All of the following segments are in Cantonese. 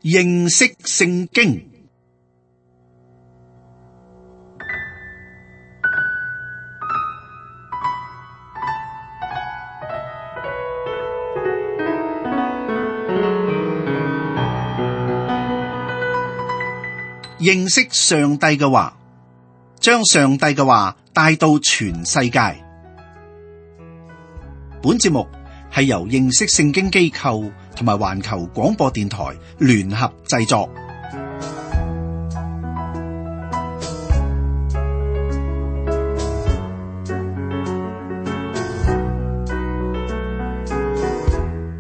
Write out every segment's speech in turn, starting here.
認識聖經。認識上帝嘅話，將上帝嘅話帶到全世界。本節目係由認識聖經機構同埋環球廣播電台聯合製作。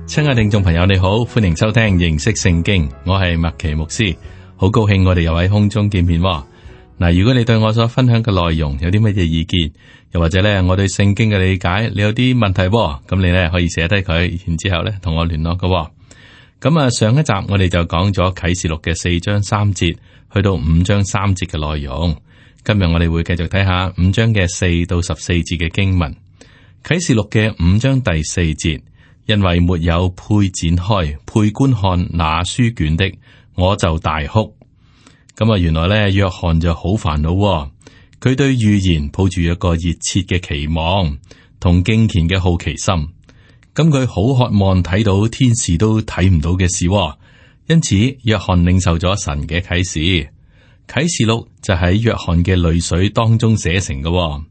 親愛聽眾朋友，你好，歡迎收聽認識聖經，我係麥奇牧師。好高興我哋又喺空中見面喎。嗱，如果你對我所分享嘅內容有啲乜嘢意見，又或者咧我對聖經嘅理解，你有啲問題喎，咁你咧可以寫低佢，然之後咧同我聯絡嘅喎。咁啊，上一集我哋就講咗啟示錄嘅4章3節去到5章3節嘅內容。今日我哋會繼續睇下5章嘅4到14節嘅經文。啟示錄嘅5章第4節，因為沒有配展開配觀看那書卷的，我就大哭。咁啊，原來咧約翰就好煩惱，佢對預言抱住一個熱切嘅期望同敬虔嘅好奇心。咁佢好渴望睇到天使都睇唔到嘅事，因此約翰領受咗神嘅啟示。啟示錄就喺約翰嘅淚水當中寫成嘅。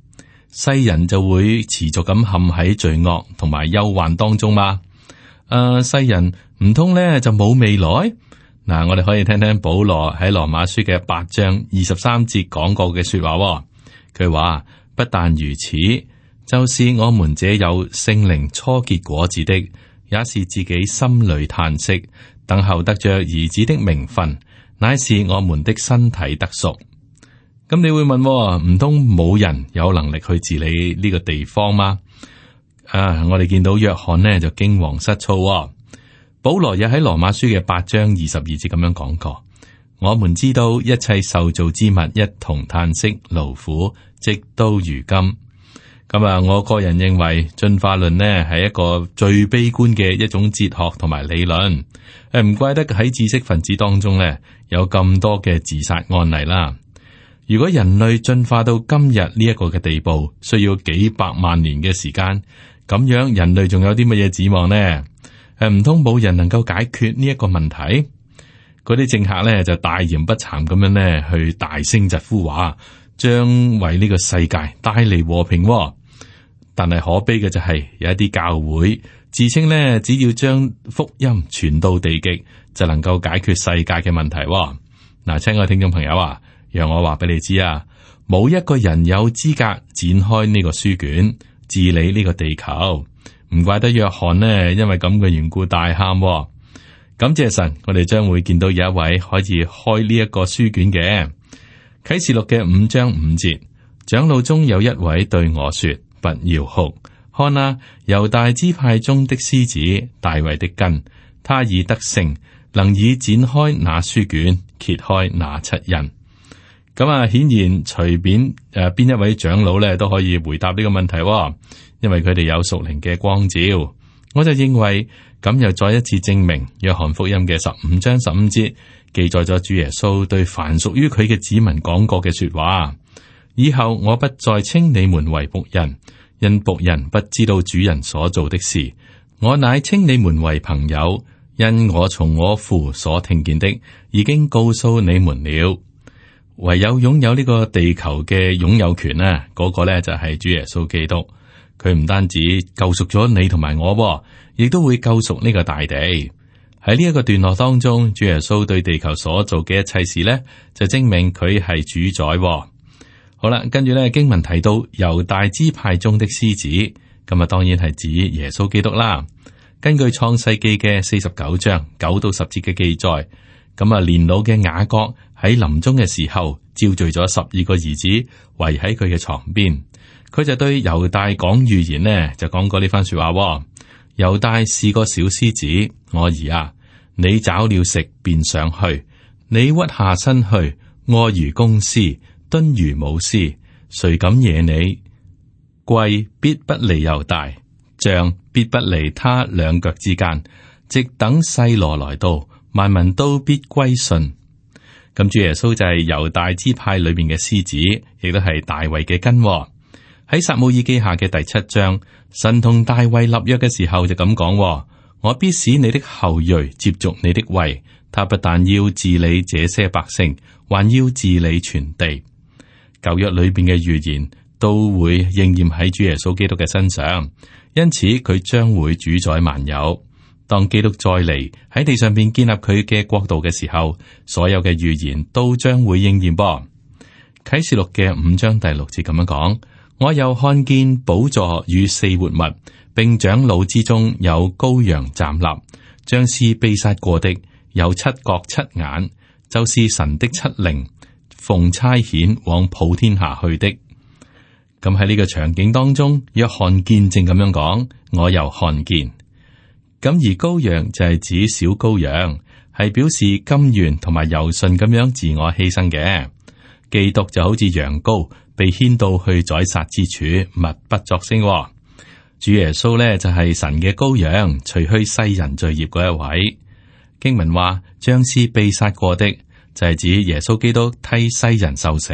世人就會持續咁陷喺罪惡同埋憂患當中嘛。世人唔通咧就冇未來？嗱，我哋可以聽聽保羅喺羅馬書嘅8章23節講過嘅說話。佢話不但如此，就是我們這有聖靈初結果子的，也是自己心裏嘆息，等候得着兒子的名分，乃是我們的身體得贖。咁你會問，唔通冇人有能力去治理呢個地方嗎？我哋見到約翰呢就驚惶失措。保羅也喺羅馬書嘅8章22節咁樣講過，我們知道一切受造之物一同嘆息勞苦，直到如今。咁啊，我個人認為進化論呢係一個最悲觀嘅一種哲學同埋理論。唔怪得喺知識分子當中呢有咁多嘅自殺案例啦。如果人類進化到今日呢一個嘅地步，需要幾百萬年嘅時間，咁樣人類仲有啲乜嘢指望呢？唔通冇人能夠解決呢一個問題？嗰啲政客咧就大言不慚咁樣咧去大聲疾呼話，將為呢個世界帶嚟和平。但係可悲嘅就係有一啲教會自稱咧，只要將福音傳到地極，就能夠解決世界嘅問題。嗱，親愛聽眾朋友啊，讓我話俾你知啊，冇一個人有資格展開呢個書卷，治理呢個地球。唔怪得約翰呢，因為咁嘅緣故大喊。感謝神，我哋將會見到有一位可以開呢一個書卷嘅。啟示錄嘅5章5節，長老中有一位對我說：不要哭，看啊，猶大支派中的獅子大衛的根，他已得勝，能以展開那書卷，揭開那7印。咁啊，顯然隨便邊一位長老咧都可以回答呢個問題。因為佢哋有屬靈嘅光照，我就認為咁又再一次證明約翰福音嘅15章15節記載咗主耶穌對凡屬於佢嘅子民講過嘅說話。以後我不再稱你們為僕人，因僕人不知道主人所做的事，我乃稱你們為朋友，因我從我父所聽見的已經告訴你們了。唯有擁有呢個地球嘅擁有權啊，嗰個呢就係主耶穌基督。佢唔單止救贖咗你同埋我，亦都會救贖呢個大地。喺呢一個段落當中，主耶穌對地球所做嘅一切事呢，就證明佢係主宰。好啦，跟住咧經文提到猶大支派中的獅子，咁啊當然係指耶穌基督啦。根據創世記嘅49章9到10節嘅記載，咁啊年老嘅雅各喺臨終嘅時候召聚咗12個兒子圍喺佢嘅床邊。佢就對猶大講預言呢，就講過呢番說話。猶大是個小獅子，我兒啊，你找了食便上去，你屈下身去，臥如公獅，蹲如母獅，誰敢惹你？貴必不離猶大，杖必不離他兩腳之間，直等細羅來到，物萬民都必歸順。咁主耶穌就係猶大支派裏面嘅獅子，亦都係大衛嘅根。喺撒母耳記下嘅第7章，神同大衛立約嘅時候就咁講：我必使你的後裔接續你的位，他不但要治理這些百姓，還要治理全地。舊約裏邊嘅預言都會應驗喺主耶穌基督嘅身上，因此佢將會主宰萬有。當基督再嚟喺地上邊建立佢嘅國度嘅時候，所有嘅預言都將會應驗噃。啟示錄嘅5章第6節咁樣講：我又看見寶座與4活物，並長老之中有羔羊站立，像是被殺過的，有7角7眼，就是神的7靈，奉差遣往普天下去的。咁喺呢個場景當中，約翰見證咁樣講：我又看見。咁而羔羊就係指小羔羊，係表示甘願同埋柔順咁樣自我犧牲嘅。基督就好似羊羔被牽到去宰殺之處，默不作聲。主耶穌呢，就係神嘅羔羊，除去世人罪孽嗰一位。經文話，將是被殺過的，就係指耶穌基督替世人受死，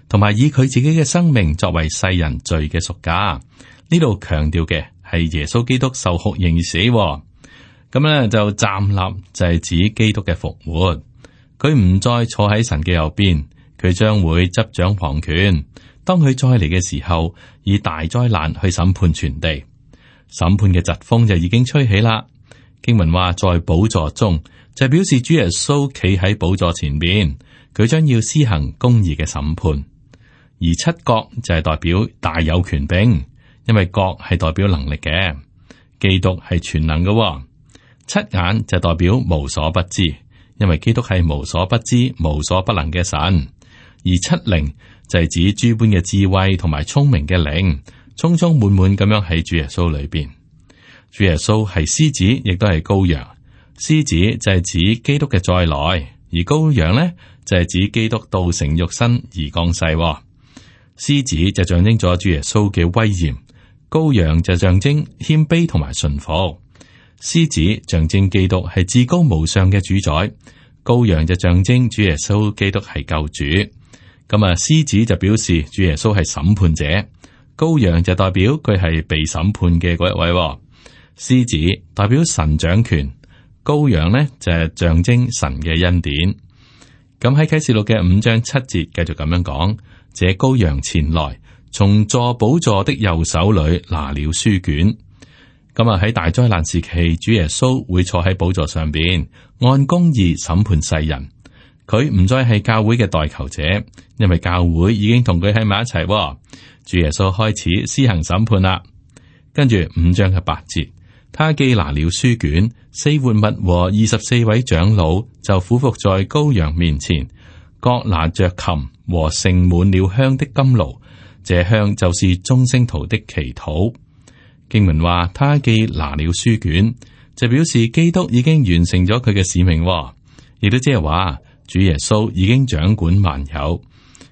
同埋以佢自己嘅生命作為世人罪嘅贖價。呢度強調嘅係耶穌基督受酷刑而死。咁咧就站立，就係指基督嘅復活。佢唔再坐喺神嘅右邊，佢將會執掌皇權。當佢再嚟嘅時候，以大災難去審判全地。審判嘅疾風就已經吹起啦。經文話，在寶座中，就表示主耶穌企喺寶座前邊，佢將要施行公義嘅審判。而7角就係代表大有權柄，因為角係代表能力嘅，基督係全能嘅。7眼就代表無所不知，因為基督係無所不知、無所不能嘅神。而7靈就係指諸般嘅智慧同埋聰明嘅靈，充充滿滿咁樣喺主耶穌裏邊。主耶穌係獅子，亦都係羔羊。獅子就係指基督嘅再來，而羔羊呢就係指基督道成肉身而降世。獅子就象徵咗主耶穌嘅威嚴，羔羊就象徵謙卑同埋順服。獅子象徵基督係至高無上嘅主宰，羔羊就象徵主耶穌基督係救主。咁啊，獅子就表示主耶穌係審判者，羔羊就代表佢係被審判嘅嗰一位。獅子代表神掌權，羔羊呢就係象徵神嘅恩典。咁喺啟示錄嘅5章7節繼續咁樣講：這羔羊前來，從坐寶座的右手裏拿了書卷。咁啊，喺大災難時期，主耶穌會坐喺寶座上邊，按公義審判世人。佢唔再係教會嘅代求者，因為教會已經同佢喺埋一齊。主耶穌開始施行審判啦。跟住5章嘅8節，他既拿了書卷，4活物和24位長老就俯伏在羔羊面前，各拿着琴和盛滿了香的甘爐，這香就是眾聖徒的祈禱。經文話，他既拿了書卷，就表示基督已經完成咗佢嘅使命，亦都即係話主耶穌已經掌管萬有。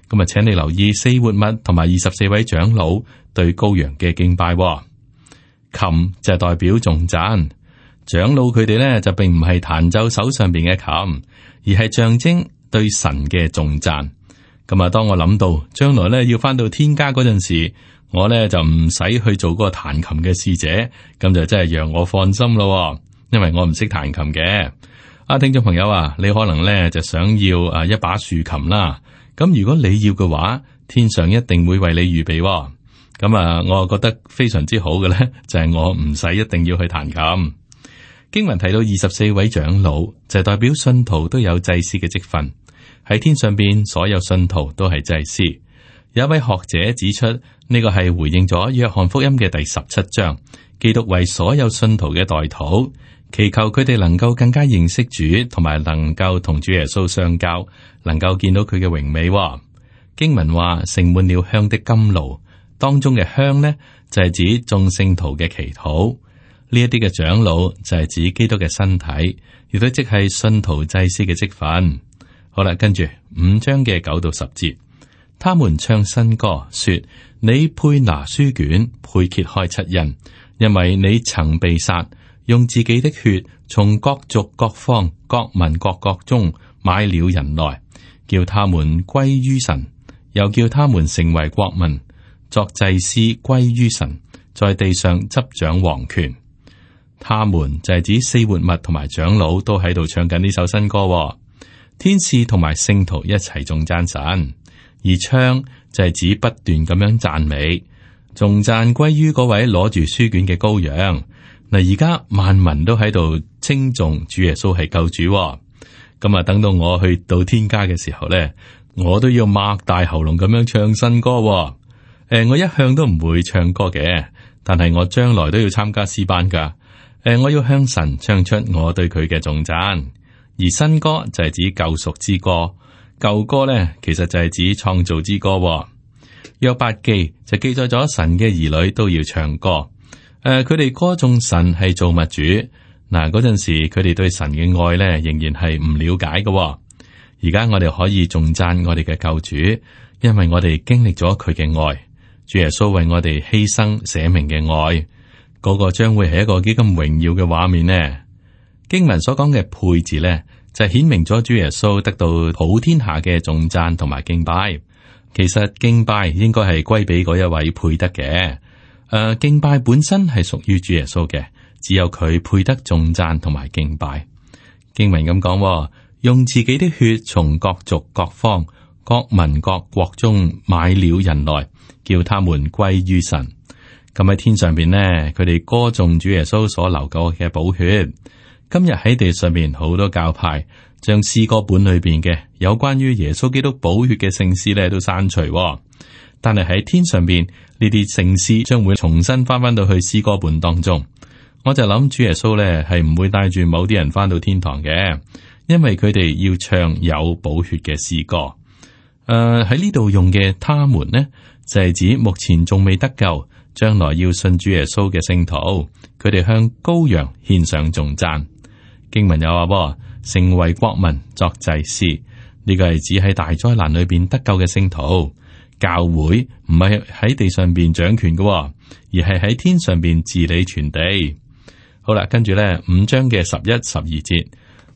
咁啊，請你留意4活物同埋24位長老對羔羊嘅敬拜。琴就係代表頌讚，長老佢哋呢就並唔係彈奏手上邊嘅琴，而係象徵對神嘅頌讚。咁啊，當我諗到將來呢要翻到天家嗰陣時，我呢就唔使去做嗰個彈琴嘅使者，咁就真係讓我放心咯。因為我唔識彈琴嘅。聽眾朋友啊，你可能呢就想要一把豎琴啦。咁如果你要嘅話，天上一定會為你預備。咁啊，我覺得非常之好嘅呢，就係我唔使一定要去彈琴。經文提到24位長老，就係代表信徒都有祭司嘅職分。喺天上邊，所有信徒都係祭司。有一位學者指出，呢個係回應咗約翰福音嘅第17章，基督為所有信徒嘅代禱，祈求佢哋能夠更加認識主，同埋能夠同主耶穌相交，能夠見到佢嘅榮美。經文話盛滿了香的甘爐，當中嘅香呢，就係指眾聖徒嘅祈禱。呢一啲嘅長老就係指基督嘅身體，亦都即係信徒祭司嘅職分。好啦，跟住5章嘅9到10節，他們唱新歌，說：你配拿書卷，配揭開7印，因為你曾被殺，用自己的血從各族各方各民各國中買了人來，叫他們歸於神，又叫他們成為國民，作祭司歸於神，在地上執掌王權。他們就係指四活物同埋長老都喺度唱緊呢首新歌，天使同埋聖徒一齊頌讚神，而唱就係指不斷咁樣讚美，頌讚歸於嗰位攞住書卷嘅羔羊。嗱，而家萬民都喺度稱頌主耶穌係救主，咁啊，等到我去到天家嘅時候咧，我都要擘大喉嚨咁樣唱新歌。我一向都唔會唱歌嘅，但係我將來都要參加詩班噶。我要向神唱出我對佢嘅頌讚，而新歌就係指救贖之歌，舊歌咧其實就係指創造之歌。約伯記就記載咗神嘅兒女都要唱歌。佢哋歌頌神係造物主。嗱，嗰陣時佢哋對神嘅愛咧仍然係唔了解嘅。而家我哋可以頌讚我哋嘅救主，因為我哋經歷咗佢嘅愛，主耶穌為我哋犧牲捨命嘅愛，嗰個將會係一個幾咁榮耀嘅畫面呢？經文所講嘅配字咧，就顯明咗主耶穌得到普天下嘅頌讚同埋敬拜。其實敬拜應該係歸俾嗰一位配得嘅。敬拜本身係屬於主耶穌嘅，只有佢配得頌讚同埋敬拜。經文咁講，用自己的血從各族各方各民各國中買了人來，叫他們歸於神。咁喺天上邊呢，佢哋歌頌主耶穌所流過嘅寶血。今日喺地上面好多教派將詩歌本裏邊嘅有關於耶穌基督寶血嘅聖詩咧都刪除，但係喺天上邊呢啲聖詩將會重新翻到去詩歌本當中。我就諗主耶穌咧係唔會帶住某啲人翻到天堂嘅，因為佢哋要唱有寶血嘅詩歌。喺呢度用嘅他們呢，就係指目前仲未得救，將來要信主耶穌嘅聖徒，佢哋向羔羊獻上頌讚。經文有話，成為國民作祭司，呢個係指喺大災難裏邊得救嘅聖徒。教會唔係喺地上邊掌權嘅，而係喺天上邊治理全地。好啦，跟住咧5章嘅11、12節，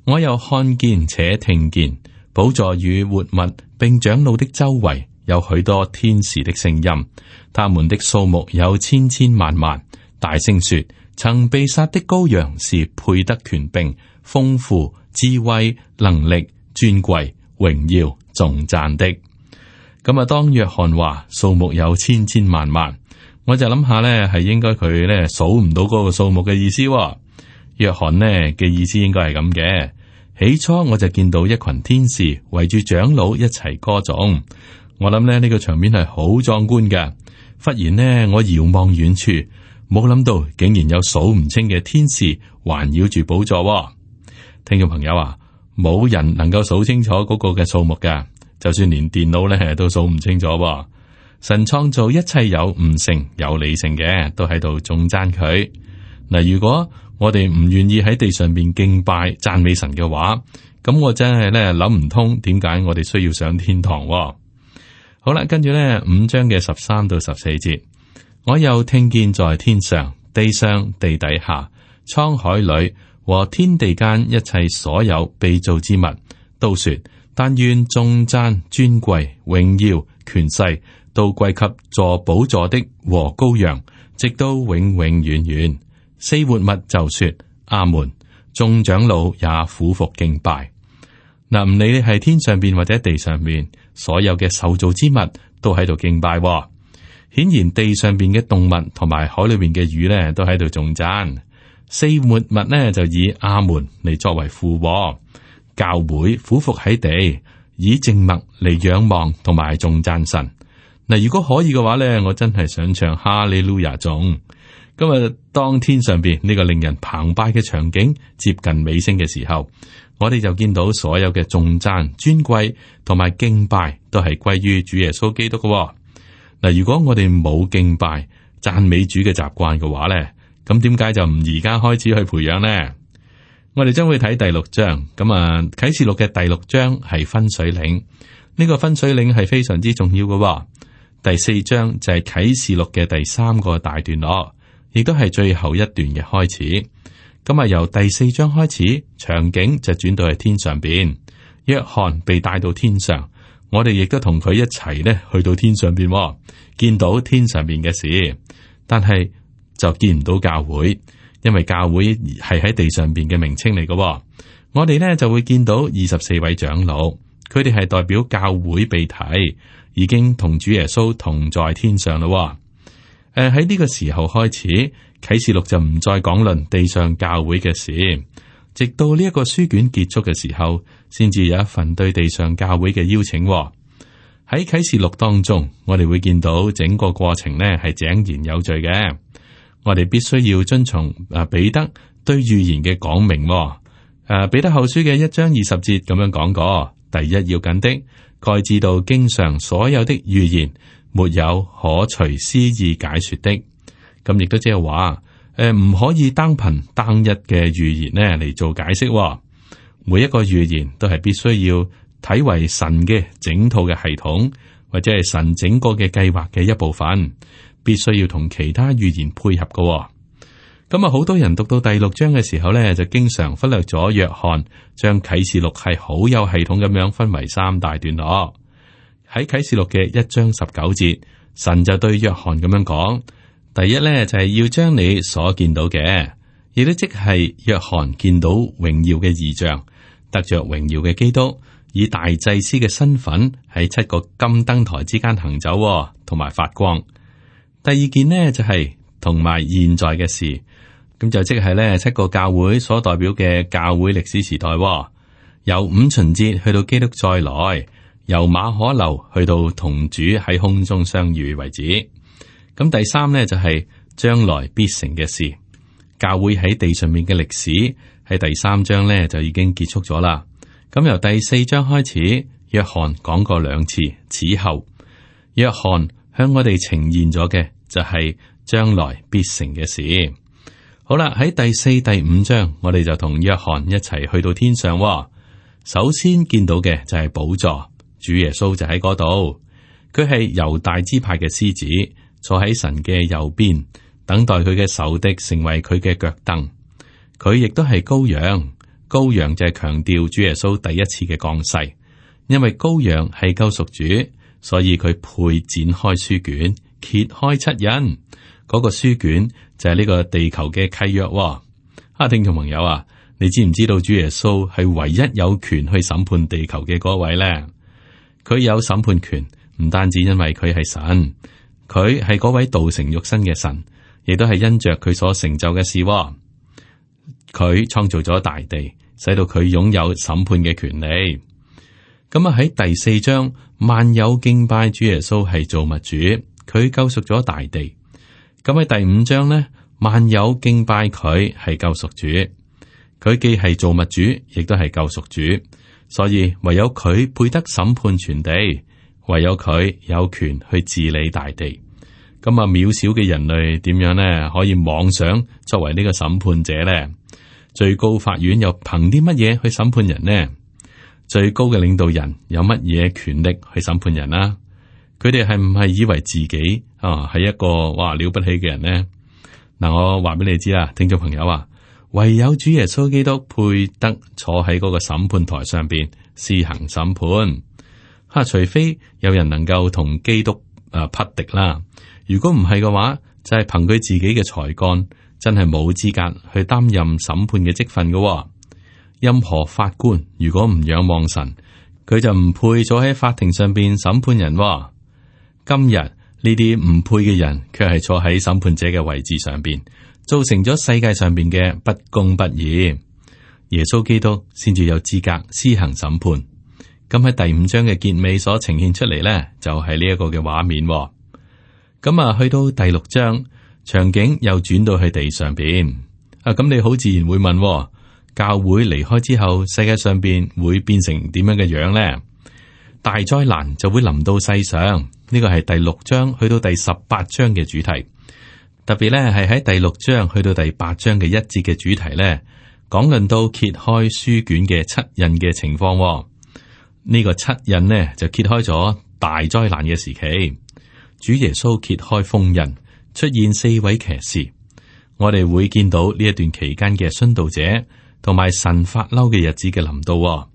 我又看見且聽見寶座與活物並長老的周圍有許多天使的聲音，他們的數目有千千萬萬，大聲說：曾被殺的羔羊是配得權柄、豐富、智慧、能力、尊貴、榮耀、頌讚的。咁啊，當約翰話數目有千千萬萬，我就諗下咧，係應該佢咧數唔到嗰個數目嘅意思。約翰呢嘅意思應該係咁嘅。起初我就見到一群天使圍住長老一齊歌頌，我諗咧呢個場面係好壯觀嘅。忽然呢，我遙望遠處，冇諗到竟然有數唔清嘅天使環繞住寶座。聽眾朋友啊，冇人能夠數清楚嗰個嘅數目㗎。就算連電腦咧都數唔清楚。神創造一切有悟性有理性嘅，都喺度頌讚佢。嗱，如果我哋唔願意喺地上邊敬拜讚美神嘅話，咁我真係咧諗唔通點解我哋需要上天堂。好啦，跟住咧5章嘅13到14節，我又聽見在天上、地上、地底下、滄海裏和天地間一切所有被造之物，都說：但願頌讚、尊貴、榮耀、權勢都歸給坐寶座的和羔羊，直到永永遠遠。四活物就說：阿門。眾長老也俯伏敬拜。嗱，唔理你係天上邊或者地上邊，所有嘅受造之物都喺度敬拜。顯然地上邊嘅動物同埋海裏邊嘅魚咧，都喺度頌讚。四活物呢，就以阿門嚟作為附和。教會俯伏喺地，以靜默嚟仰望同埋頌讚神。嗱，如果可以嘅話咧，我真係想唱哈利路亞頌。今日當天上邊呢個令人澎湃嘅場景接近尾聲嘅時候，我哋就見到所有嘅頌讚、尊貴同埋敬拜都係歸於主耶穌基督嘅。嗱，如果我哋冇敬拜讚美主嘅習慣嘅話咧，咁點解就唔而家開始去培養呢？我哋將會睇第6章，啟示錄嘅第6章係分水嶺，呢個分水嶺係非常之重要嘅。第4章就係啟示錄嘅第3個大段落，亦都係最後一段嘅開始。咁啊，由第4章開始，場景就轉到去天上邊，約翰被帶到天上，我哋亦都同佢一齊咧去到天上邊，見到天上邊嘅事，但係就見唔到教會，因為教會係喺地上邊嘅名稱嚟嘅。我哋咧就會見到24位長老，佢哋係代表教會被提，已經同主耶穌同在天上咯。喺呢個時候開始，啟示錄就唔再講論地上教會嘅事，直到呢一個書卷結束嘅時候，先至有一份對地上教會嘅邀請。喺啟示錄當中，我哋會見到整個過程呢係井然有序嘅。我哋必須要遵從彼得對預言嘅講明。彼得後書嘅1章20節咁樣講過：第一要緊的，該知道經上所有的預言，沒有可隨私意解說的。咁亦都即係話，唔可以單憑單一嘅預言呢嚟做解釋。每一個預言都係必須要睇為神嘅整套嘅系統，或者係神整個嘅計劃嘅一部分，必須要同其他預言配合嘅。咁啊，好多人讀到第6章嘅時候呢，就經常忽略咗約翰將啟示錄係好有系統咁樣分為3大段落。喺啟示錄嘅1章19節，神就對約翰咁樣講：第一呢，就係要將你所見到嘅，亦都即係約翰見到榮耀嘅異象，得着榮耀嘅基督，以大祭司嘅身份喺7個金燈台之間行走，同埋發光。第二件呢，就係同埋現在嘅事，咁就即係呢7個教會所代表嘅教會歷史時代，由五旬節去到基督再來，由馬可樓去到同主喺空中相遇為止。咁第3呢，就係將來必成嘅事，教會喺地上面嘅歷史喺第3章呢就已經結束咗啦。咁由第4章開始，約翰講過2次此後，約翰向我哋呈現咗嘅就係將來必成嘅事。好啦，喺第4、第5章，我哋就同約翰一齊去到天上。首先見到嘅就係寶座，主耶穌就喺嗰度，佢係猶大支派嘅獅子，坐喺神嘅右邊，等待佢嘅仇敵成為佢嘅腳凳。佢亦都係羔羊，羔羊就係強調主耶穌第一次嘅降世，因為羔羊係救贖主，所以佢配展開書卷，揭開7印。嗰個書卷就係呢個地球嘅契約。聽眾朋友啊，你知唔知道主耶穌係唯一有權去審判地球嘅嗰位呢？佢有審判權，唔單止因為佢係神，佢係嗰位道成肉身嘅神，亦都係因着佢所成就嘅事。佢創造咗大地，使到佢擁有審判嘅權利。咁啊，喺第4章，萬有敬拜主耶穌係造物主，佢救贖咗大地。咁喺第5章呢，萬有敬拜佢係救贖主，佢既係造物主，亦都係救贖主，所以唯有佢配得審判全地，唯有佢有權去治理大地。咁啊，渺小嘅人類點樣呢？可以妄想作為呢個審判者呢？最高法院又憑啲乜嘢去審判人呢？最高嘅領導人有乜嘢權力去審判人啊？佢哋係唔係以為自己係一個哇了不起嘅人呢？嗱，我話俾你知啦，聽眾朋友啊，唯有主耶穌基督配得坐喺嗰個審判台上邊施行審判。除非有人能夠同基督匹敵啦，如果唔係嘅話，就係憑佢自己嘅才幹，真係冇資格去擔任審判嘅職分嘅。任何法官如果唔仰望神，佢就唔配坐喺法庭上邊審判人。今日呢啲唔配嘅人，卻係坐喺審判者嘅位置上邊，造成咗世界上邊嘅不公不義。耶穌基督先至有資格施行審判。咁喺第5章嘅結尾所呈現出嚟呢，就係呢一個嘅畫面。咁啊，去到第6章，場景又轉到去地上邊。咁你好自然會問，教會離開之後，世界上邊會變成點樣嘅樣呢？大災難就會臨到世上。呢個係第6章去到第18章嘅主題，特別咧係喺第6章去到第8章嘅1節嘅主題咧，講論到揭開書卷嘅7印嘅情況。呢個7印呢，就揭開咗大災難嘅時期，主耶穌揭開封印，出現4位騎士。我哋會見到呢一段期間嘅殉道者同埋神發嬲嘅日子嘅臨到。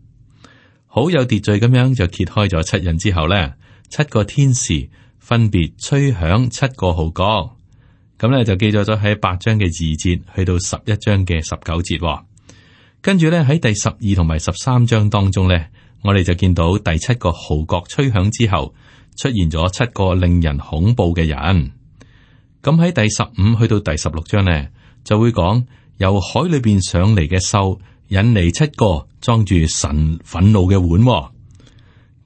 好有秩序咁樣就揭開咗七印之後呢，七個天使分別吹響七個號角，咁呢就記載咗喺8章嘅2節去到11章嘅19節。跟住呢，喺第12同埋13章當中呢，我哋就見到第7個號角吹響之後，出現咗7個令人恐怖嘅人。咁喺第15去到第16章呢，就會講由海裏邊上嚟嘅獸引嚟7個裝住神憤怒嘅碗。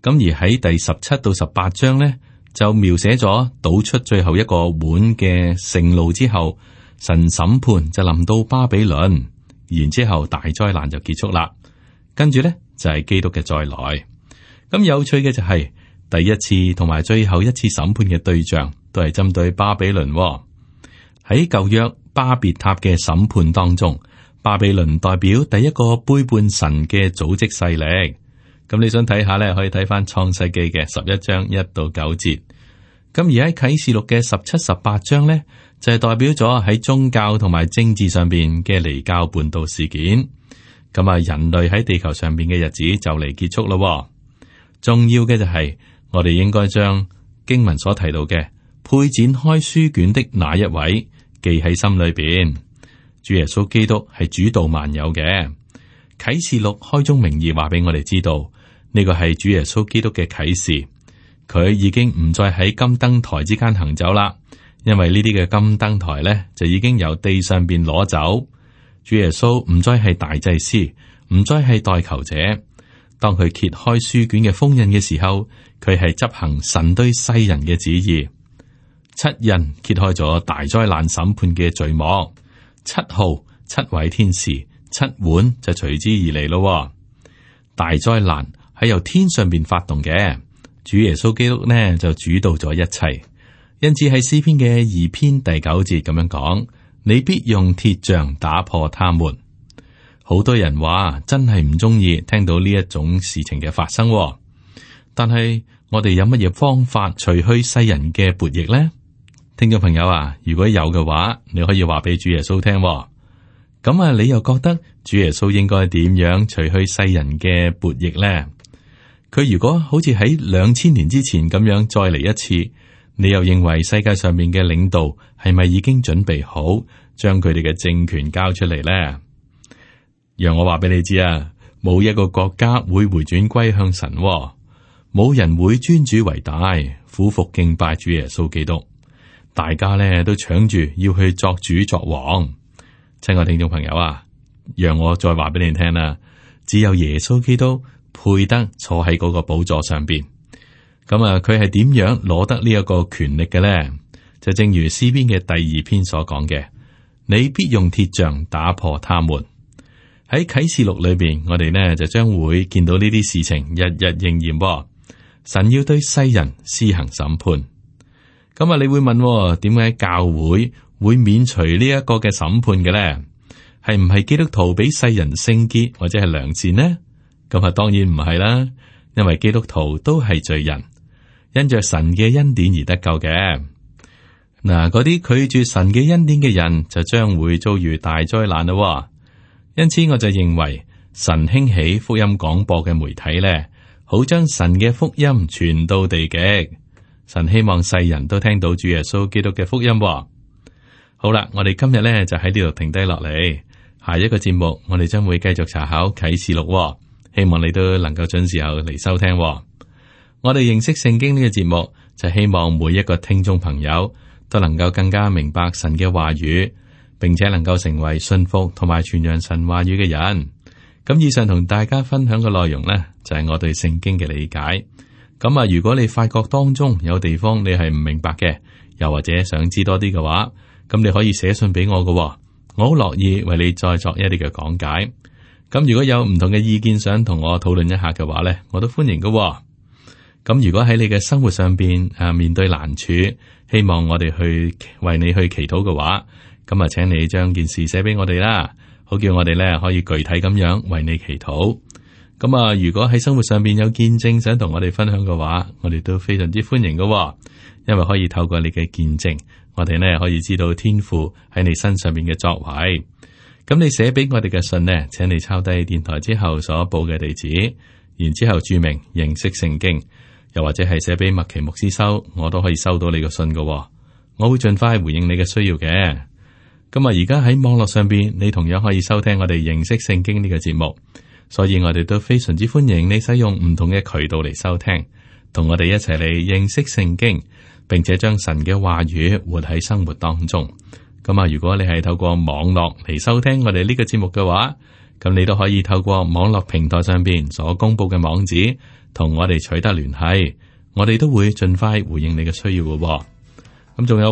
咁而喺第17到18章呢，就描寫咗倒出最後一個碗嘅盛怒之後，神審判就臨到巴比倫，然之後大災難就結束啦。跟住呢，就係基督嘅再來。咁有趣嘅就係第一次同埋最後一次審判嘅對象都係針對巴比倫。喺舊約巴別塔嘅審判當中，巴比倫代表第一個背叛神嘅組織勢力。咁你想睇下咧，可以睇翻創世記嘅11章1到9節。咁而喺啟示錄嘅17、18章咧，就係代表咗喺宗教同埋政治上邊嘅離教叛道事件。咁啊，人類喺地球上邊嘅日子就嚟結束咯。重要嘅就係我哋應該將經文所提到嘅配展開書卷的那一位記喺心裏邊。主耶穌基督係主導萬有嘅。啟示錄開宗明義話俾我哋知道，呢個係主耶穌基督嘅啟示。佢已經唔再喺金燈台之間行走啦，因為呢啲嘅金燈台呢，就已經由地上邊攞走。主耶穌唔再係大祭司，唔再係代求者。當佢揭開書卷嘅封印嘅時候，佢係執行神對世人嘅旨意。七印揭開咗大災難審判嘅序幕，七號7位天使7碗就隨之而嚟咯。大災難係由天上邊發動嘅，主耶穌基督呢就主導咗一切。因此喺詩篇嘅2篇第9節咁樣講：你必用鐵杖打破他們。好多人話真係唔中意聽到呢一種事情嘅發生，但係我哋有乜嘢方法除去世人嘅悖逆呢？聽眾朋友啊，如果有嘅話，你可以話俾主耶穌聽。咁啊，你又覺得主耶穌應該點樣除去世人嘅悖逆呢？佢如果好似喺2000年之前咁樣再嚟一次，你又認為世界上面嘅領導係咪已經準備好將佢哋嘅政權交出嚟呢？讓我話俾你知啊，冇一個國家會回轉歸向神，冇人會尊主為大，俯伏敬拜主耶穌基督。大家呢都搶住要去作主作王。親愛聽眾朋友啊，讓我再話俾你聽啦，只有耶穌基督配得坐喺嗰個寶座上邊。咁啊，佢係點樣攞得呢一個權力嘅呢？就正如詩篇嘅第2篇所講嘅，你必用鐵杖打破他們。喺啟示錄裏邊，我哋呢就將會見到呢啲事情日日應驗。神要對世人施行審判。咁啊，你會問，點解教會免除呢一個嘅審判嘅咧？係唔係基督徒比世人聖潔或者係良善呢？咁啊，當然唔係啦，因為基督徒都係罪人，因着神嘅恩典而得救嘅。嗱，嗰啲拒絕神嘅恩典嘅人就將會遭遇大災難咯。因此，我就認為神興起福音廣播嘅媒體咧，好將神嘅福音傳到地極。神希望世人都聽到主耶穌基督嘅福音。好啦，我哋今日咧就喺呢度停低落嚟，下一個節目我哋將會繼續查考啟示錄，希望你都能夠準時候嚟收聽。我哋認識聖經呢個節目，就希望每一個聽眾朋友都能夠更加明白神嘅話語，並且能夠成為信服同埋傳揚神話語嘅人。咁以上同大家分享嘅內容呢，就係我對聖經嘅理解。咁啊，如果你發覺當中有地方你係唔明白嘅，又或者想知多啲嘅話，咁你可以寫信俾我嘅，我好樂意為你再作一啲嘅講解。咁如果有唔同嘅意見想同我討論一下嘅話呢，我都歡迎嘅。咁如果喺你嘅生活上邊面對難處，希望我哋去為你去祈禱嘅話，咁啊，請你將件事寫俾我哋啦，好叫我哋呢可以具體咁樣為你祈禱。咁啊，如果喺生活上邊有見證想同我哋分享嘅話，我哋都非常之歡迎嘅，因為可以透過你嘅見證我哋呢可以知道天父喺你身上面嘅作為。咁你寫俾我哋嘅信呢，請你抄低電台之後所報嘅地址，然之後注明認識聖經，又或者係寫俾麥奇牧師收，我都可以收到你嘅信㗎喎。我會盡快回應你嘅需要嘅。咁而家喺網絡上邊，你同樣可以收聽我哋認識聖經呢個節目，所以我哋都非常之歡迎你使用唔同嘅渠道嚟收聽，同我哋一齊嚟認識聖經，並且將神嘅話語活喺生活當中。咁如果你係透過網絡嚟收聽我哋呢個節目嘅話，咁你都可以透過網絡平台上邊所公布嘅網址，同我哋取得聯繫，我哋都會盡快回應你嘅需要嘅。咁仲有，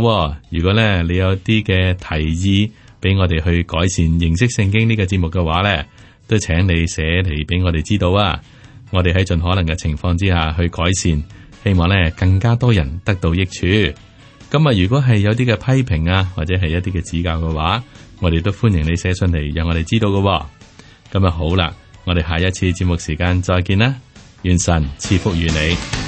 如果咧你有啲嘅提議俾我哋去改善認識聖經呢個節目嘅話咧，都請你寫嚟俾我哋知道啊！我哋喺盡可能嘅情況之下去改善，希望咧更加多人得到益處。咁如果係有啲嘅批評啊，或者係一啲嘅指教嘅話，我哋都歡迎你寫信嚟，讓我哋知道嘅。咁好啦，我哋下一次節目時間再見啦，願神賜福於你。